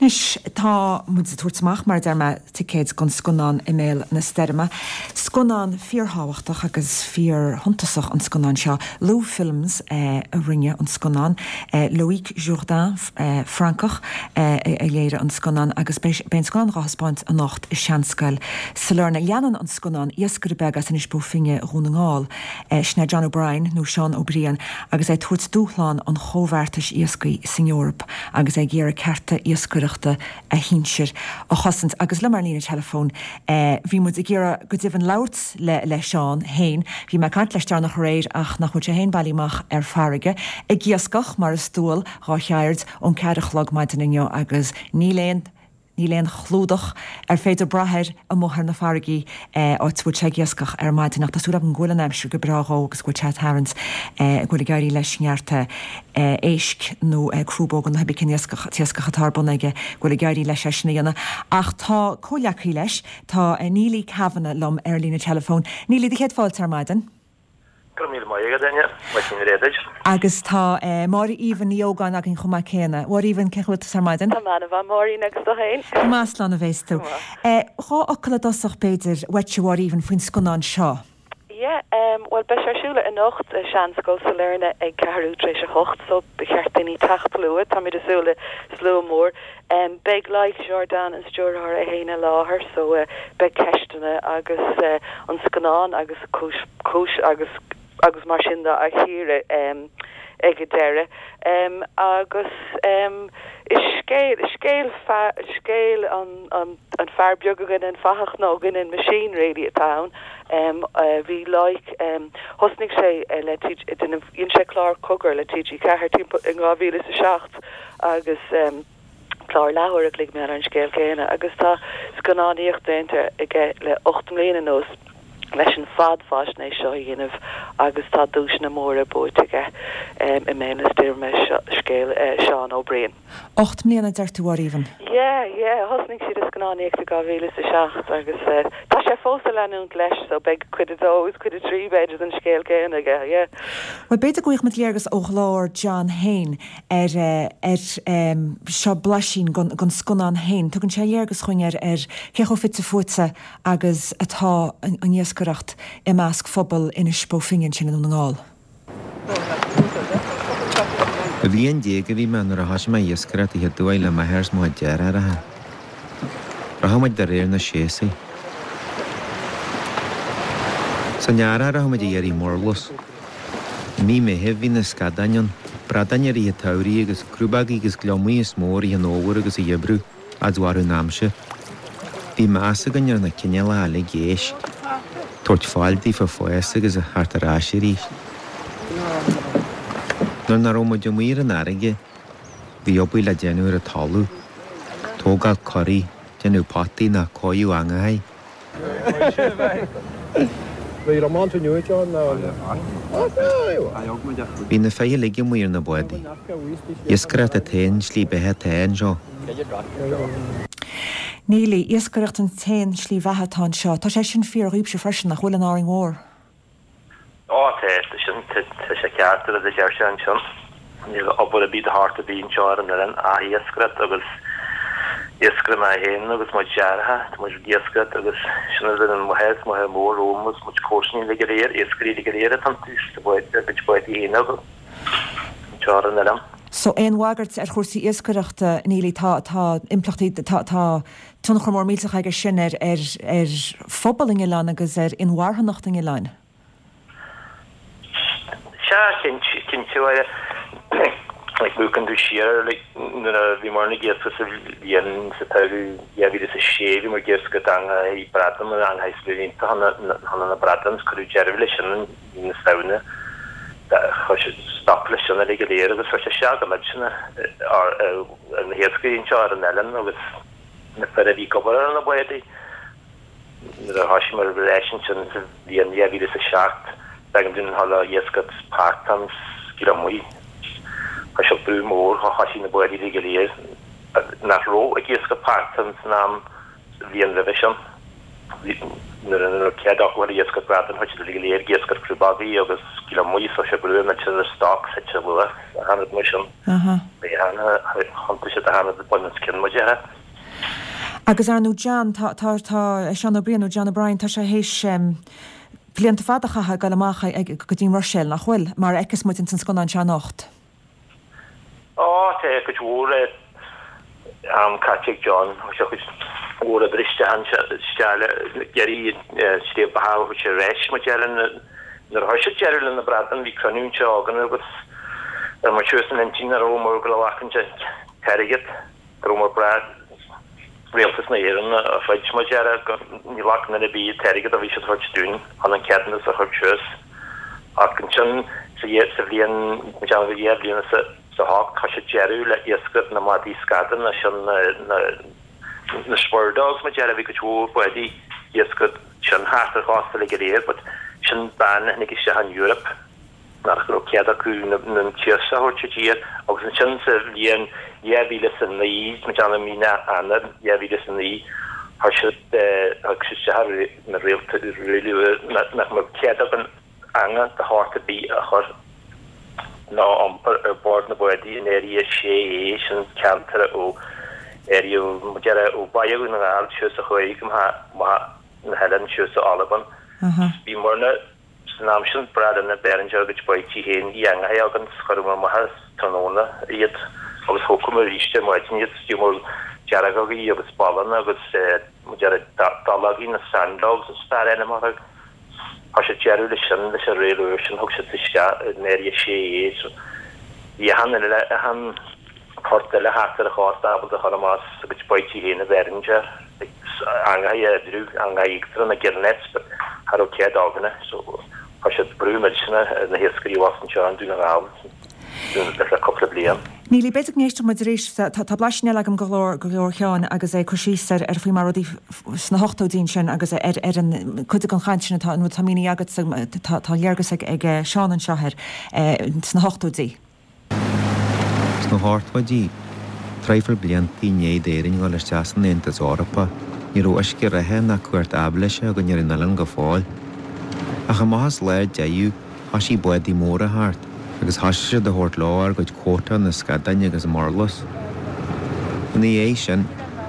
Anois, tá muid ag tabhairt amach, mar a deir mé, ticéid don scannán I mBéal na Stoirme. Scannán fíorthábhachtach agus fíorshuntasach an scannán seo. Loewe Films a rinne an scannán. Loïc Jourdain, Francach, a léirigh an scannán agus beidh an scannán dhá thaispeáint anocht i Seanscoil Sailearna. Leanann an scannán iascaire beag as Inis Bó Finne, Dhún na nGall, Sin é John O'Brien, nó Seán Ó Briain, agus é ag tabhairt dúshlán an chomhbheartais iascaigh san Eoraip agus é ag iarraidh cearta iascaireachta a shinsir a chosaint. Agus liom ar an líne teileafóin, bhí muid ag iarraidh go deimhin labhairt le le Seán féin. Bhí mé ag caint leis deireanach aréir ach nach bhfuil sé féin bailithe amach ar farraige, ag iascach, mar is dual dhá cheird, ón ceathair a chlog maidin inniu agus níl aon Níl aon chlúdach ar féidir brath air amuigh ar na farraigí áit a bhfuil sé ag iascach ar maidin ach tá súil agam go bhfuil an aimsir go breá dhó agus go bhfuil sé ag tarraingt, go bhfuil ag éirí leis neart éisc nó crúbóga nó cibé cén iascach, t-iascach atá ar bun aige, go bhfuil ag éirí leis é sin a dhéanamh. Ach tá comhghleacaí leis, tá Neilí Kavanagh liom ar an líne teileafóin. Neilí, do chéad fáilte ar maidin. Go raibh míle maith agat, Áine. Maidin bhreá duit. Agus tá Máire Aoibhinn Ní Ógáin againn chomh maith céanna. A Mháire Aoibhinn, cén chaoi a bhfuil tusa ar maidin? Tá mé ana-mhaith, Máirín, agus tú féin? Go maith, slán a bhéas tú. Go maith. Dhá fhocal i dtosach, b'fhéidir, uaitse, a Mháire Aoibhinn, faoin scannán seo. Yeah, bhuel, beidh sé ar siúl anocht i Seanscoil Sailearna ag ceathrú tar éis a hocht, so ba cheart daoine teacht luath, táimid ag súil le slua mór. Beidh Loïc Jourdain, an stiúrthóir, é féin i láthair, so beidh ceisteanna agus an scannán agus cúis cúis agus agus mar sin de á chíoradh ag an deireadh. Agus is scéal scéal scéal an an an fear beag a rinne an fathach nó a rinne an machine really atá ann. Bhí Loïc thosnaigh sé le dhein sé clár Cogar le TG4 timpeall in 2007 agus clár leathuair a chloig mar an scéal céanna agus tá scannánaíocht déanta aige le 8 mbliana anuas leis an fadfhaisnéis seo a dhéanamh agus tá duaiseanna móra buaite aige i mBéal na Stoirme, scéal Seán Ó Briain. 8 mbliana a deir tú, a Mháire Aoibhinn? Yeah, yeah, thosnaigh siad ag scannánaíocht i 2007 agus tá sé fós ag leanúint leis so beidh cuid a dó agus cuid a trí b'fhéidir den scéal céanna aige, yeah. Bhuel, b'fhéidir go bhfaighidh muid léargas ó ghlór John féin ar ar seo blaisín den scannán féin. Tugann sé léargas dhúinn ar ar cé chomh fite fuaite agus atá an iascaireacht i measc phobal Inis Bó Finne ansin i nDún na nGall. Bhliain déag a bhí mé nuair a thoisigh mé iascaireacht a chéad uair le m'athair is mo chuid deartháireacha. Rachadh muid de réir na séasúir. San earrach rachadh muid ag iarraidh murlus. I mí Meithimh bhí na scadáin ann, bradáin i rith an tsamhraidh agus crúbógaí agus gliomaigh is mó i rith an fhómhair agus an gheimhridh, fhad is a mhairfeadh an aimsir. Bhí meas againn ar na cineálacha uilig éisc, tabhairt fáil daofa fás agus a theacht ar ais arís. Nuair nach raibh muid amuigh ar an fharraige, bhí obair le déanamh ar an talamh, tógáil coraí, déanamh potaí nó cóiriú eangachaí. Bhí na fir uilig amuigh ar na bádaí. Iascaireacht an t-aon slí beatha atá anseo. Neilí, Iascaireacht an t-aon slí bheatha atá anseo. Tá sé sin fíor dhaoibhse freisin, nach bhfuil, in Árainn Mhór? Ó tá, tá sin, tá sé ceart an rud a deir sé ansin. Níl obair ar bith de shórt ar bith anseo ar an oileán ach iascaireacht agus iascaire mé féin agus mo dheartháir, tá muid ag iascaireacht agus sin an rud an mháthair, is máthair mór romham agus muid comharsana uilig go léir, iascairí uilig go léir atá iontu, is tá báid, a gcuid bádaí féin acu anseo ar an oileán. So aon bhagairt ar chúrsaí iascaireachta, Neilí, tá, tá impleachtaí, tá, tá tionchar mór millteach aige sin ar, ar, ar phobal an oileáin agus ar inmharthanacht an oileáin. Sea, cinnte, cinnte, like, amharcann tú siar, like, nuair a bhíomar ag iascach sa bhliain sa tsamhradh 2006, bhíomar ag iascach eangaí bradán, eangaí súilínte chun na bradán, is cuireadh deireadh leis sin i mí na Samhna, chuir siad stop leis sin uilig go léir agus chuir sé isteach go millteanach ar na hiascairí anseo ar an oileán agus na fir a bhí ag obair ar na bádaí. Nuair a thosaíomar ar ais ansin sa bhliain 2007, b'éigean dúinn a dhul ag iascach portán 's gliomaigh. Chuir sé brú mór, thosaigh na bádaí uilig go léir nach raibh ag iascach portán san am sa bhliain roimhe sin. Nuair a raibh cead acu ag iascaireacht bradán chuaigh siad uilig go léir ag iascaireacht crúbógaí agus gliomaigh so sé brú millteanach ar stocks thit an luach achan rud mar sin. Bhí an-chuntas siad achan rud bun os cionn mar a déarfá. Agus ar ndóigh John, tá, tá, tá Seán Ó Briain nó John O'Brien, tá sé théis blianta fada a chaitheamh ag dul amach ag, go dtí an Bhruiséil, nach bhfuil? Mar a fheiceas muid ins an scannán seo anocht. Á, tá cuid mhór am caite ag John. Thug sé cuid mhór oibre isteach anseo, isteach le iarraidh sliabh beatha a thabhairt ar ais, mar a déarfá. Nuair a chuir siad deireadh le na bradáin, bhí cruinniú anseo againn agus ar muid suas an intinn nach raibh muid ag gabháil a ghlacadh an t-airgead. Go raibh muid ag brath Rialtas na hÉireann a throid mar a déarfá ní ghlacann duine ar bith an t-airgead a bhí siad a thabhairt dúinn chun an ceadúnas a chur suas. Ach ansin sa sa bhliain mo dhéanamh 2008 chuir siad deireadh le iascaireacht na madaí scadán sin na na na spur dogs mar a déarfá bhí cuid mhór bádaí iascaireacht sin thart ar chósta uilig go léir but sin ban a tháinig isteach ón Europe. nach raibh cead acu na t-iasc a thabhairt i dtír agus ansin sa bhliain 2009, mo dhéanamh mí Eanáir 2009, chuir siad thug siad isteach na riail úr nach mbeadh cead againn eangach de shórt ar bith a chur ná a iompar ar bord na bádaí in Area 6A, sin ceantar ó area mo dhéanamh ó Bhaile Dhún na nGall suas a chuaigh go maith na hoileáin suas go Albain. Bhí muirne San am sin breá linn a bheith ar ár gcuid báidhtí féin, bhí eangachaí againn 's chuireamar amach as tráthnóna iad agus thógamar arís ar maidin iad, d'fhiúmar deargógaí agus ballanna agus mo déarfá dallógaí, na sand dogs is fearr ainm orthu. Chuir siad deireadh leis sin, leis an riail úr sin, thug siad isteach in Area 6A so bhí achan uile, achan port eile thart ar an chósta ábalta a chur amach as a gcuid báidhtí féin a bheith ar an eangachaí a oibriú, eangachaí íochtaracha na gill nets but cha raibh cead againne so chuir siad brú millteanach ar na hiascairí abhus anseo i nDún na nGall le cúpla bliain. Neilí, b'fhéidir go n-éistfeadh muid arís, tá blaisín eile agam de ghlór, de ghlór Sheáin agus é ag cur síos ar ar faoi mar rudaí sna hochtóidí ansin agus ar ar an cuid den chaint sin atá an rud atá mínithe agatsa tá tá léargas ag ag Seán anseo air sna hochtóidí. Sna hochtóidí, traidhfil blianta i ndiaidh d'Éirinn dhul isteach san Aontas Eorpach, ní raibh uisce reatha ná cumhacht aibhléise againn ar an oileán go fóill. Ach amach as lá deireadh, thoisigh bádaí móra a theacht agus thoisigh siad a thabhairt leo ár gcuid quota na scadáin agus murlus. Ina dhiaidh sin,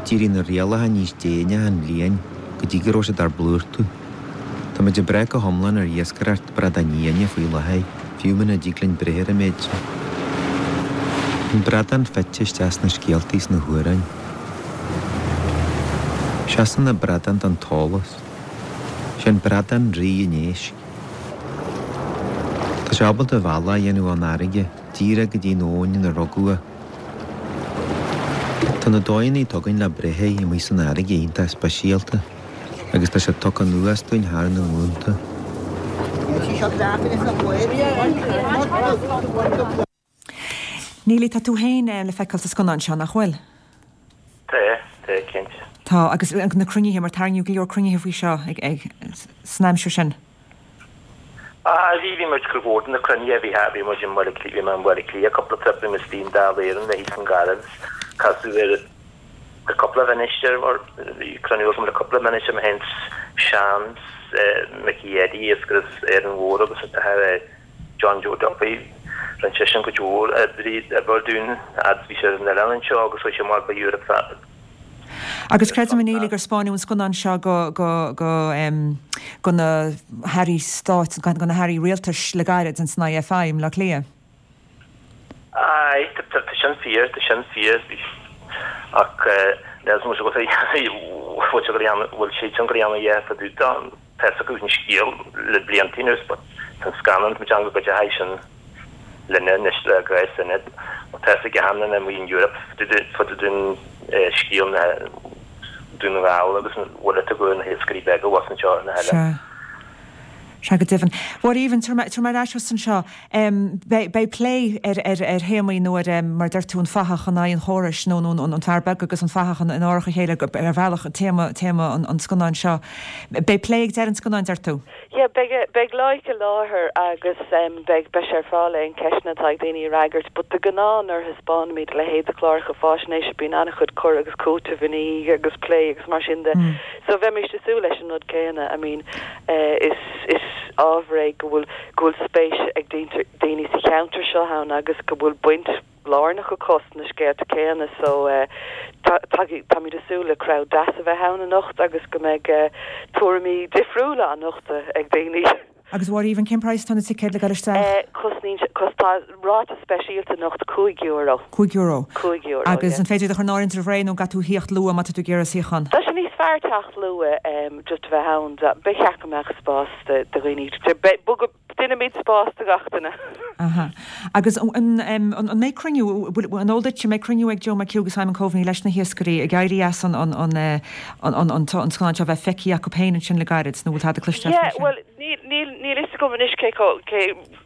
d'éirigh na rialacha níos déine achan bhliain go dtí go raibh siad ár bplúrtú. Tá muid ag brath go hiomlán ar iascaireacht bradáin fhiáine faoi láthair, fiú muna dtig linn breith ar an méid sin. An bradán fite isteach sna scéaltaí is na hamhráin. Seasann na bradáin don t-eolas. Sé an bradán rí an éisc. Tá sé ábalta a bhealach a dhéanamh ón fharraige díreach go dtí an abhainn ina rugadh é. Tá na dóigheanna atá againn le breith air amuigh san fharraige iontach speisialta. agus tá sé tugtha anuas dúinn thar na glúnta. Neilí, tá tú féin le feiceáil sa scannán seo, nach bhfuil? Tá, tá, cinnte. Tá, agus na cruinnithe, mar tarraingíodh go leor cruinnithe faoi seo san aimsir sin. Ah, bhí, bhí muid cuid mhór de na cruinnithe, bhí, bhí muid i mBaile Átha Cliath, bhí mé i mBaile Átha Cliath cúpla trip, bhí mé istigh i nDáil Éireann le thíos i nGaillimh, casadh ar le cúpla minister, mar bhí cruinniú agam le cúpla minister, mé féin Seán Mickey Eddie iascaire as Árainn Mhór agus a athair John Joe Duffy. Rinne seisean cuid mhór oibre oibre dúinn fhad is bhí sé ar an oileán anseo agus chuaigh sé amach go Europe fad. Agus creidim, a Neilí, gur spáineadh an scannán seo go, go, go, go na hairí stáit, go na hairí rialtais le gairid ins an IFI i mBleá Cliath. Aye, tá sin fíor, tá sin fíor. Ach níl 's agat bhfuil sé go dhéanamh, bhfuil sé sin go dhéanamh yeah fá dtaobh de, tá 'fhios acu an scéal le blianta anuas but tá an scannán, mo theanga go deachaidh sin linne anois le gréas duine, tá 'fhios ag achan duine amuigh in Europe fá dtaobh den scéal na Dún na nGall agus an bhfuil a tugadh na hiascairí beaga abhus anseo ar na hoileáin. Sea. Sea go deimhin. A Mháire Aoibhinn, tabharfaidh mé ar ais thusa anseo. Beidh plé ar théamaí nó ar, mar a deir tú, an fathach in aghaidh an chórais nó an fear beag agus an fathach in árach a chéile ar bhealach, téama an scannáin seo. Beidh plé ag deireadh an scannáin, deir tú? Yeah, beidh, beidh Loic i láthair agus beidh, beidh sé ar fáil le aon ceisteanna atá ag daoine a fhreagairt but de ghnáth nuair a thaispeánaimid a leithéid de chláracha fáisnéise bíonn an-chuid cur agus cúiteamh ina dhiaidh agus plé agus mar sin de. So bheimis ag súil leis an rud céanna, I mean is, is ábhar é go bhfuil, go bhfuil spéis ag daoine sa cheantar seo ann agus go bhfuil baint lárnach acu sna scéalta céanna so táimid ag súil le crowd deas a bheith ann anocht agus go mbeidh tuairimí difriúla á nochtadh ag daoine. Agus a Mháire Aoibhinn, cén praghas atá na ticéid le dul isteach? Cosnaíonn sé, cos, tá ráta speisialta anocht €5. €5. €5, Agus an féidir iad a chur in áirithint roimh ré nó an gcaithfidh tú a thíocht luath má tá tú ag iarraidh suíochán? Tá sé níos fearr teacht luath, just a bheith ann. Ba cheart go mbeadh spás do dhaoine. Déanfaimid spás do gach duine. Aha. Agus an mbeidh cruinniú, an eol duit, an mbeidh cruinniú ag Joe McHugh agus Simon Coveney leis na hiascairí ag éirí as an scannán seo a bheith feicthe acu féin ansin le gairid, nó bhfuil tada cloiste agat faoi sin? Yeah, bhuel, níl, níl fhios agam anois cé chomh, cé,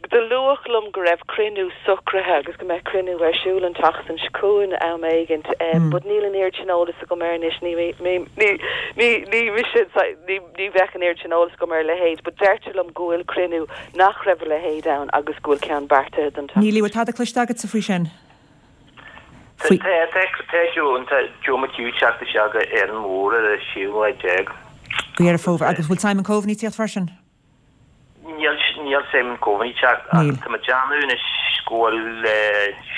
do luadh liom go raibh cruinniú socraithe agus go mbeadh cruinniú ar siúl an tseachtain seo chugainn am éigint, but níl an oiread sin eolas agam air anois, ní, ní, ní, ní mise, ní, Ní bheadh an oiread sin eolas agam ar a leithéid, but deirtear liom go bhfuil cruinniú nach raibh a leithéid ann agus go bhfuil ceann beartaithe don tseachtain Neilí, bhfuil tada cloiste agatsa faoi sin? Faoi. Tá, tá, tá Joe, tá Joe McHugh ag teacht isteach go Árainn Mhór ar an séú lá déag. Go Deireadh Fómhair. Agus bhfuil Simon Coveney ag tíocht freisin? Níl, níl Simon Coveney ag teacht ach tá mé ag déanamh anois go bhfuil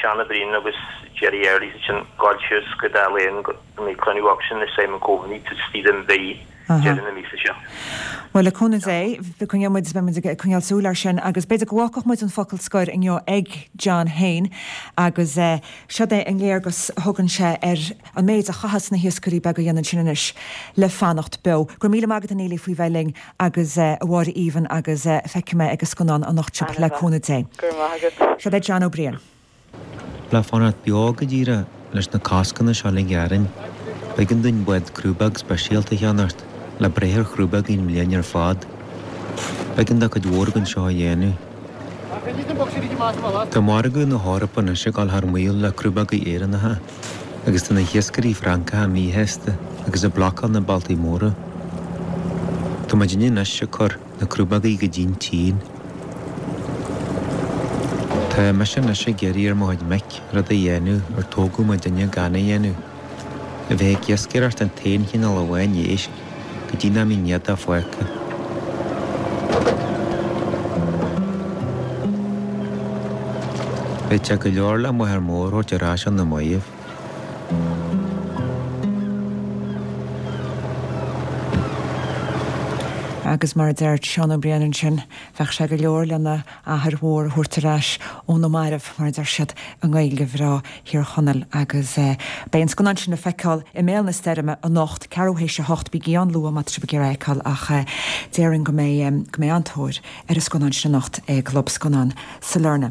Seán Ó Briain agus Gerry Early sin ag gabháil suas go Dáil Éireann go mbeidh cruinniú acusan le Simon Coveney taobh istigh den mhí, deireadh na míosa seo. Bhuel, le cúnamh Dé, coinneoidh muid, beidh muid ag coinneáil súil air sin agus b'fhéidir go bhfágfadh muid an focal scoir inniu ag John fhéin agus seod é an léargas a thugann sé ar an méid a chaitheas na hiascairí beaga a dhéanamh ansin anois le fanacht beo. Go raibh míle maith agat a Neilí faoi bheith linn agus a Mháire Aoibhinn agus feicfidh mé ag an scannán anocht sibh le cúnamh Dé. Go raibh maith agat. Seod é John Ó Briain. Le fanacht beo go díreach leis na coscanna seo uilig orainn, b'éigean dúinn bád crúbóg speisialta a cheannacht le breith ar chrúbógaí an bhliain ar fad. B'éigean do chuid mhór againn seo a dhéanamh. Tá margadh na hEorpa anois ag dul thar maoil le crúbógaí Éireannacha. Agus tá na hiascairí Francacha míshásta agus ag blocáil na bealtaí móra. Tá muidinne anois ag cur na crúbógaí go dtí'n tSín. Tá mise anois ag iarraidh ar mo chuid mic rud a dhéanamh ar tógadh muidinne gan a dhéanamh, a bheith ag iascaireacht an t-aon chineál amháin éisc go dtí nach mbíonn éadach fágtha. Bheadh sé go leor le m'athair mór a thabhairt ar ais ó na mairbh. Agus mar a deir Seán Ó Briain ansin, bheadh sé go leor lena athair mhór a thabhairt ar ais ó na mairbh, mar a deir siad i nGaeilge bhreá Thír Chonaill. Agus beidh an scannán sin le feiceáil i mBéal na Stoirme anocht, ceathrú théis a hocht. Bígí ann luath má tá sibh ag iarraidh é a fheiceáil ach déarfainn go mbeidh go mbeidh an-tóir ar an scannán sin anocht i gClub Scannán Sailearna.